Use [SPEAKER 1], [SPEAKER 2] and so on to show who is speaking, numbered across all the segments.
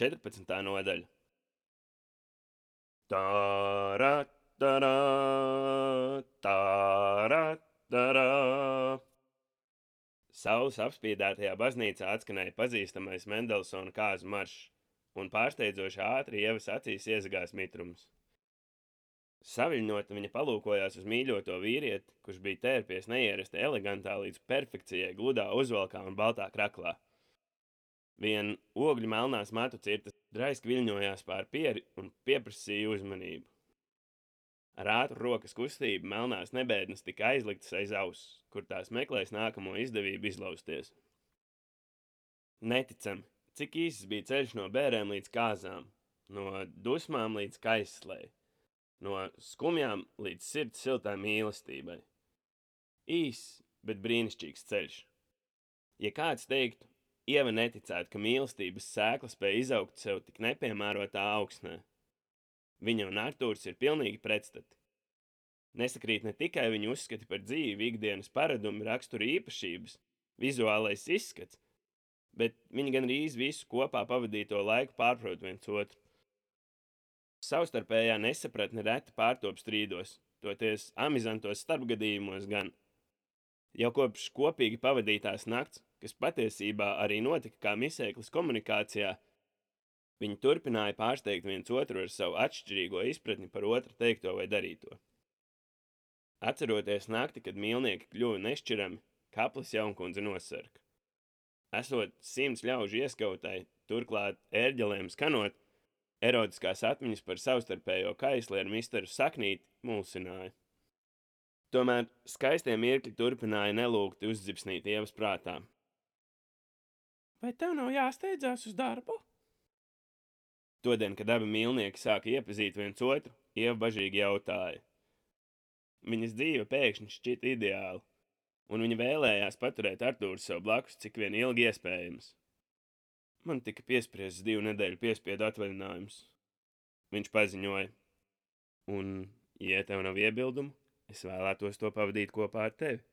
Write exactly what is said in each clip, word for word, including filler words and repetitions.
[SPEAKER 1] četrpadsmitā nodaļa. Tārā, tarā, tārā, tarā. Saules apspīdētajā baznīcā atskanēja pazīstamais Mendelsona kāzu maršs, un pārsteidzoši ātri Ievas acīs iezagās mitrums. Saviļņota viņa palūkojās uz mīļoto vīrieti, kurš bija tērpies neierasti elegantā līdz perfekcijai gludā uzvalkā un baltā kraklā. Vien ogļu melnās matu cirtas draiski viļņojās pār pieri un pieprasīja uzmanību. Ar ātru rokas kustību melnās nebēdnes tika aizliktas aiz auss, kur tās meklēs nākamo izdevību izlausties. Neticami, cik īsts bija ceļš no bērēm līdz kāzām, no dusmām līdz kaislei, no skumjām līdz sirds siltā mīlestībai. Īss, bet brīnišķīgs ceļš. Ja kāds teiktu, Ieva neticētu, ka mīlestības sēkla spēja izaugt sev tik nepiemērotā augsnē. Viņa un Artūrs ir pilnīgi pretstati. Nesakrīt ne tikai viņu uzskati par dzīvi, ikdienas paradumi, rakstura īpašības, vizuālais izskats, bet viņi gan rīz visu kopā pavadīto laiku pārprot viens otru. Savstarpējā nesapratne reti pārtop strīdos, toties amizantos starpgadījumos gan. Jau kopš kopīgi pavadītās nakts, kas patiesībā arī notika kā misēklis komunikācijā, viņi turpināja pārsteigt viens otru ar savu atšķirīgo izpratni par otru teikto vai darīto. Atceroties nakti, kad mīlnieki kļuva nešķirami, Kaplis jaunkundze nosarka. Esot simts ļaužu ieskautai, turklāt ērģelēm skanot, erotiskās atmiņas par savstarpējo kaisli ar misteru Saknīti mulsināja. Tomēr skaistie mirkļi turpināja nelūgti uzdzipsnīt Ievas prātā. Vai tev nav jāsteidzās uz darbu? Todien, kad abi mīlnieki sāka iepazīt viens otru, Ieva bažīgi jautāja. Viņas dzīve pēkšņi šķita ideāla, un viņa vēlējās paturēt Artūru sev blakus, cik vien ilgi iespējams. Man tika piespriests divu nedēļu piespiedu atvaļinājums. Viņš paziņoja. Un, ja tev nav iebildumu, es vēlētos to pavadīt kopā ar tevi.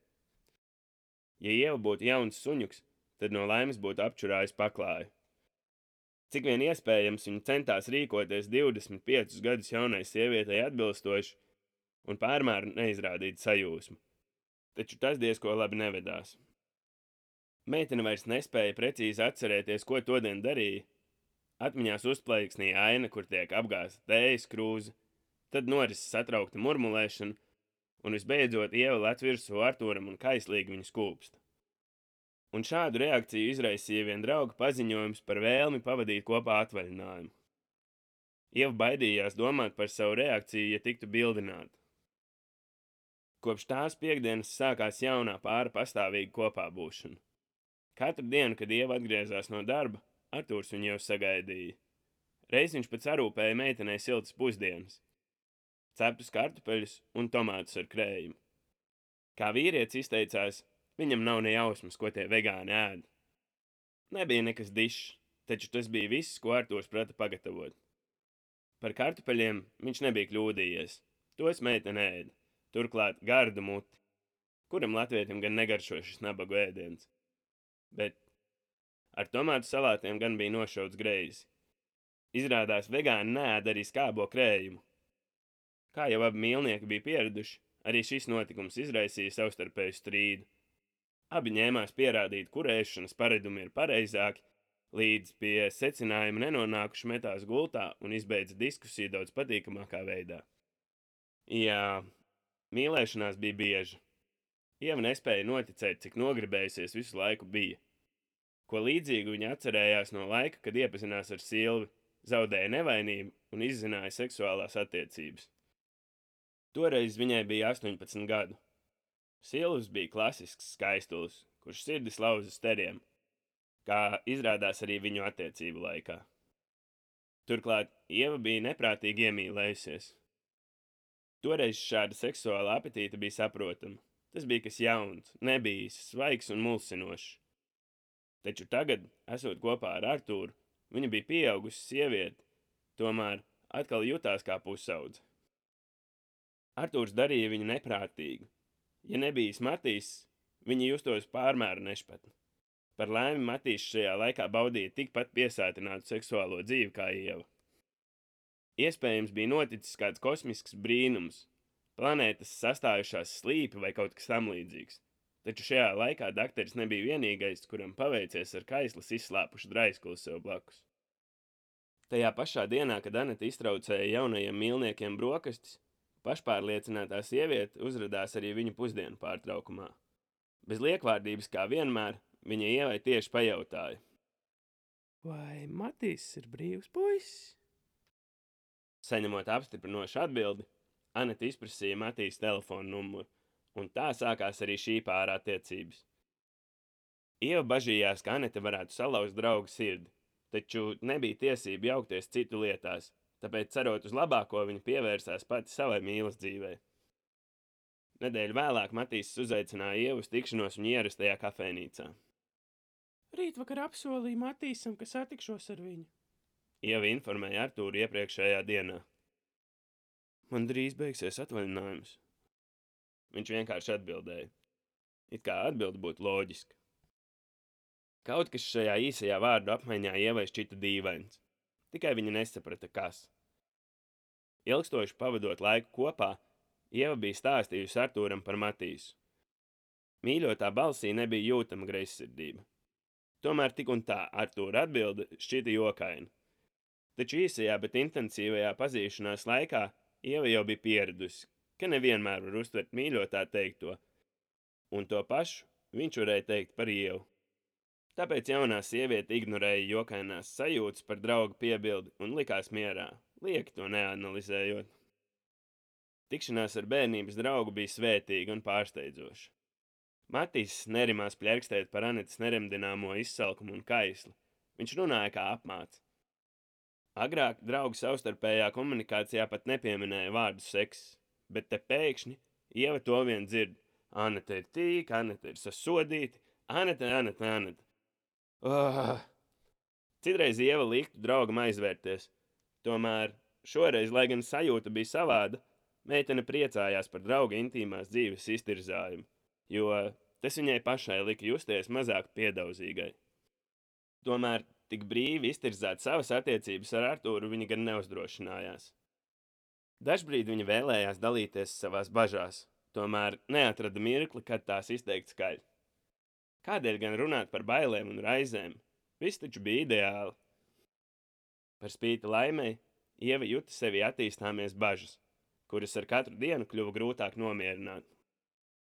[SPEAKER 1] Ja Ieva būtu jauns suņuks, tad no laimes būtu apčurājis paklāju. Cik vien iespējams viņa centās rīkoties divdesmit piecus gadus jaunai sievietei atbilstoši un pārmēr neizrādīt sajūsmu. Taču tas diezko labi nevedās. Meitene vairs nespēja precīzi atcerēties, ko todien darīja. Atmiņās uzplaiksnīja aina, kur tiek apgāzta tējas krūze, tad norises satraukta murmulēšana, un visbeidzot Ieva lec virsū Artūram un kaislīgi viņu skūpsta. Un šādu reakciju izraisīja vien drauga paziņojums par vēlmi pavadīt kopā atvaļinājumu. Ieva baidījās domāt par savu reakciju, ja tiktu bildināta. Kopš tās piekdienas sākās jaunā pāra pastāvīga kopā būšana. Katru dienu, kad Ieva atgriezās no darba, Artūrs viņu jau sagaidīja. Reiz viņš pēc arūpēja meitenei siltas pusdienas, ceptus kartupeļus un tomātus ar krējumu. Kā vīrietis izteicās, viņam nav ne jausmas, ko tie vegāni ēd. Nebija nekas dišs, taču tas bija viss, ko Artūrs prata pagatavot. Par kartupeļiem viņš nebija kļūdījies, tos meitene ēda, turklāt gardu muti, kuram latvietim gan negaršo šis nabagu ēdiens. Bet ar tomātu salātiem gan bija nošauts greizi. Izrādās vegāni neēd arī skābo krējumu. Kā jau abi mīlnieki bija pieraduši, arī šis notikums izraisīja savstarpēju strīdu. Abi ņēmās pierādīt, kur ēšanas paradumi ir pareizāki, līdz pie secinājuma nenonākuši metās gultā un izbeidza diskusiju daudz patīkamākā veidā. Jā, mīlēšanās bija bieža. Ieva nespēja noticēt, cik nogribējusies visu laiku bija. Ko līdzīgu viņa atcerējās no laika, kad iepazinās ar Silvi, zaudēja nevainību un izzināja seksuālās attiecības. Toreiz viņai bija astoņpadsmit gadu. Silvs bija klasisks skaistulis, kurš sirdis lauza steriem, kā izrādās arī viņu attiecību laikā. Turklāt Ieva bija neprātīgi iemīlējusies. Toreiz šāda seksuāla apetīte bija saprotama. Tas bija kas jauns, nebijis, svaigs un mulsinošs. Taču tagad, esot kopā ar Artūru, viņa bija pieaugusi sieviete, tomēr atkal jutās kā pusaudze. Artūrs darīja viņu neprātīgu. Ja nebija Matīs, viņa justos pārmēru nešpatni. Par laimi Matīs šajā laikā baudīja tikpat piesātinātu seksuālo dzīvi kā Ieva. Iespējams bija noticis kāds kosmisks brīnums, planētas sastājušās slīpi vai kaut kas tamlīdzīgs, taču šajā laikā dakteris nebija vienīgais, kuram paveicies ar kaislas izslāpušu draiskuli sev blakus. Tajā pašā dienā, kad Anete iztraucēja jaunajiem mīlniekiem brokastis, pašpārliecinātā sieviete uzradās arī viņu pusdienu pārtraukumā. Bez liekvārdības kā vienmēr, viņa Ievai tieši pajautāja: vai Matīs ir brīvs puisis? Saņemot apstiprinošu atbildi, Anete izprasīja Matīs telefonu numuru, un tā sākās arī šī pāra attiecības. Ieva bažījās, ka Anete varētu salauzt draugu sirdi, taču nebija tiesība jaukties citu lietās, tāpēc, cerot uz labāko, viņa pievērsās pati savai mīlas dzīvei. Nedēļu vēlāk Matīs uzaicināja Ievu uz tikšanos viņa ierastajā kafejnīcā. Rītvakar apsolīja Matīsam, ka satikšos ar viņu. Ieva informēja Artūru iepriekšējā dienā. Man drīz beigsies atvaļinājums. Viņš vienkārši atbildēja. It kā atbilde būtu loģiska. Kaut kas šajā īsajā vārdu apmaiņā Ievai šķita dīvains. Tikai viņa nesaprata, kas. Ilgstoši pavadot laiku kopā, Ieva bija stāstījusi Artūram par Matīsu. Mīļotā balsī nebija jūtama greizsirdība. Tomēr tik un tā Artūra atbilde šķita jokaina. Taču īsajā, bet intensīvajā pazīšanās laikā Ieva jau bija pieradusi, ka nevienmēr var uztvert mīļotā teikto, un to pašu viņš varēja teikt par Ievu. Tāpēc jaunā sieviete ignorēja jokainās sajūtas par draugu piebildi un likās mierā, lieki to neanalizējot. Tikšanās ar bērnības draugu bija svētīga un pārsteidzoša. Matīs nerimās pļerkstēt par Anetes neremdināmo izsalkumu un kaisli. Viņš runāja kā apmāts. Agrāk draugu savstarpējā komunikācijā pat nepieminēja vārdu seks, bet te pēkšņi Ieva to vien dzird. Anete ir tīka, Anete ir sasodīta, Anete, Anete, Anete. Oh. Citreiz Ieva liktu draugam aizvērties. Tomēr šoreiz, lai gan sajūta bija savāda, meitene priecājās par drauga intīmās dzīves iztirzājumu, jo tas viņai pašai lika justies mazāk piedauzīgai. Tomēr tik brīvi iztirzāt savas attiecības ar Artūru viņa gan neuzdrošinājās. Dažbrīd viņa vēlējās dalīties savās bažās, tomēr neatrada mirkli, kad tās izteikt skaļi. Kādēļ gan runāt par bailēm un raizēm? Viss taču bija ideāli. Par spīti laimei, Ieva juta sevi attīstāmies bažas, kuras ar katru dienu kļuva grūtāk nomierināt.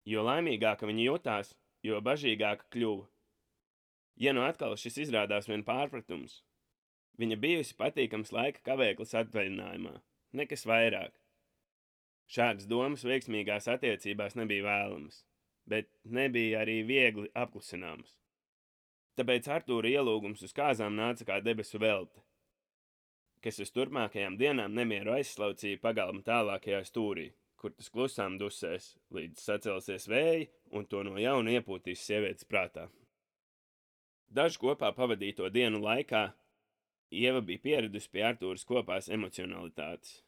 [SPEAKER 1] Jo laimīgāka viņa jutās, jo bažīgāka kļuva. Ja nu atkal šis izrādās vien pārpratums, viņa bijusi patīkams laika kavēklis atvaļinājumā, nekas vairāk. Šādas domas veiksmīgās attiecībās nebija vēlamas, bet nebija arī viegli apklusināmas. Tāpēc Artūra ielūgums uz kāzām nāca kā debesu velte, kas uz turpmākajām dienām nemieru aizslaucīja pagalma tālākajā stūrī, kur tas klusām dusēs, līdz sacelsies vēji un to no jauna iepūtīs sievietes prātā. Dažu kopā pavadīto dienu laikā Ieva bija pieradusi pie Artūras kopās emocionalitātes.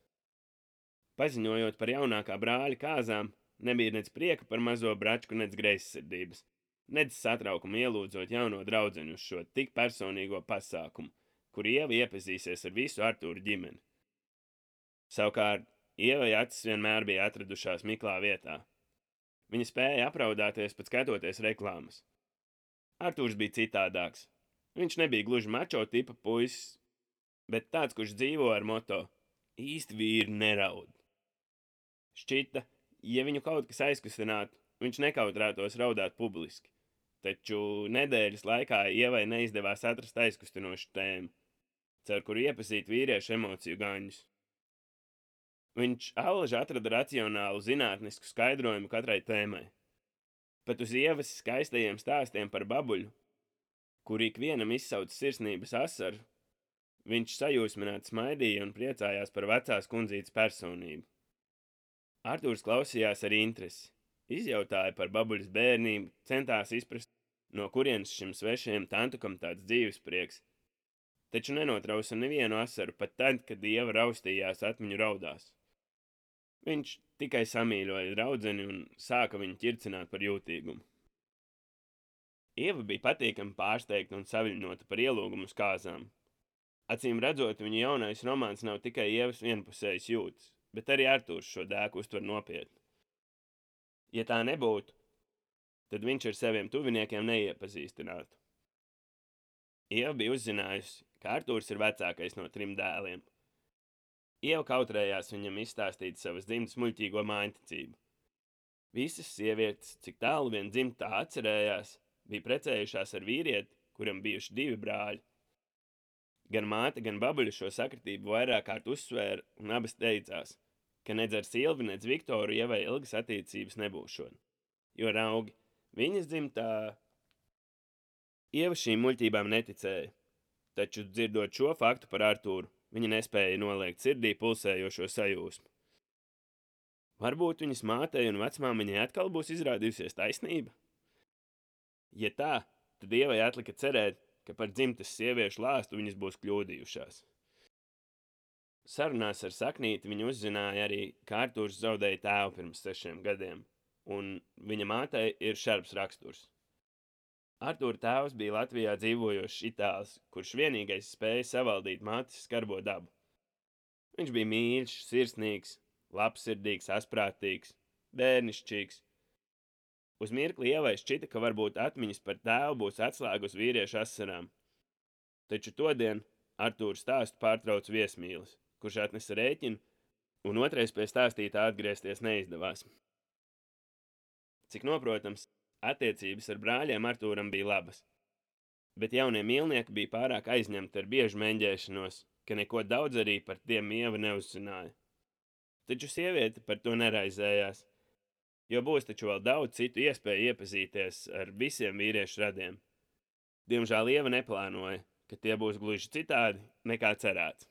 [SPEAKER 1] Paziņojot par jaunākā brāļa kāzām, nebija nec prieka par mazo bračku, nec greizsirdības, nec satraukuma ielūdzot jauno draudzeņu uz šo tik personīgo pasākumu, kur Ieva iepazīsies ar visu Artūra ģimeni. Savukārt, Ievai acis vienmēr bija atradušās miklā vietā. Viņa spēja apraudāties pat skatoties reklāmas. Artūrs bija citādāks. Viņš nebija gluži mačo tipa puisis, bet tāds, kurš dzīvo ar moto īsti vīri neraud. Šķita, ja viņu kaut kas aizkustinātu, viņš nekautrētos raudāt publiski, taču nedēļas laikā Ievai neizdevās atrast aizkustinošu tēmu, caur kuru iepazīt vīriešu emociju gaņus. Viņš allaži atrada racionālu zinātnisku skaidrojumu katrai tēmai. Pat uz Ievas skaistajiem stāstiem par babuļu, kur ikvienam izsauc sirsnības asaru, viņš sajūsmināti smaidīja un priecājās par vecās kundzītes personību. Artūrs klausījās ar interesi, izjautāja par babuļas bērnību, centās izprast, no kurienes šim svešajam tantukam tāds dzīves prieks, taču nenotrausa nevienu asaru pat tad, kad Ieva raustījās atmiņu raudās. Viņš tikai samīļoja draudzeni un sāka viņu ķircināt par jūtīgumu. Ieva bija patīkami pārsteigta un saviļņota par ielūgumu uz kāzām. Acīm redzot, viņa jaunais romāns nav tikai Ievas vienpusējas jūtas, bet arī Artūrs šo dēku uztver nopietni. Ja tā nebūtu, tad viņš ar saviem tuviniekiem neiepazīstinātu. Ieva bija uzzinājusi, ka Artūrs ir vecākais no trim dēliem. Ieva kautrējās viņam izstāstīt savas dzimtas muļķīgo mājticību. Visas sievietes, cik tālu vien dzimtā atcerējās, bija precējušās ar vīrieti, kuram bijuši divi brāļi. Gan māte, gan babuļa šo sakritību vairāk kārt uzsvēra un abas teicās, ka nedz ar Silvi, nedz Viktoru Ievai ilgas attiecības nebūšot, jo raugi viņas dzimtā. Ieva šīm muļķībām neticēja, taču dzirdot šo faktu par Artūru, viņa nespēja noliegt sirdī pulsējošo sajūsmu. Varbūt viņas mātei un vecmāmiņai atkal būs izrādījusies taisnība? Ja tā, tad Ievai atlika cerēt, ka par dzimtas sieviešu lāstu viņas būs kļūdījušās. Sarunās ar Saknīti viņa uzzināja arī, ka Artūrs zaudēja tēvu pirms sešiem gadiem, un viņa mātei ir šarbs raksturs. Artūra tēvs bija Latvijā dzīvojošs itālis, kurš vienīgais spēja savaldīt mātes skarbo dabu. Viņš bija mīļš, sirsnīgs, labsirdīgs, asprātīgs, bērnišķīgs. Uz mirkli Ievai šķita, ka varbūt atmiņas par tēvu būs atslēga uz vīriešu asarām. Taču todien Artūra stāstu pārtrauc viesmīlis, kurš atnesa rēķinu, un otrais pie stāstītā atgriezties neizdevās. Cik noprotams, attiecības ar brāļiem Artūram bija labas, bet jaunie mīlnieki bija pārāk aizņemti ar biežu meņģēšanos, ka neko daudz arī par tiem Ieva neuzzināja. Taču sieviete par to neraizējās, jo būs taču vēl daudz citu iespēju iepazīties ar visiem vīriešu radiem. Diemžēl Ieva neplānoja, ka tie būs gluži citādi nekā cerēts.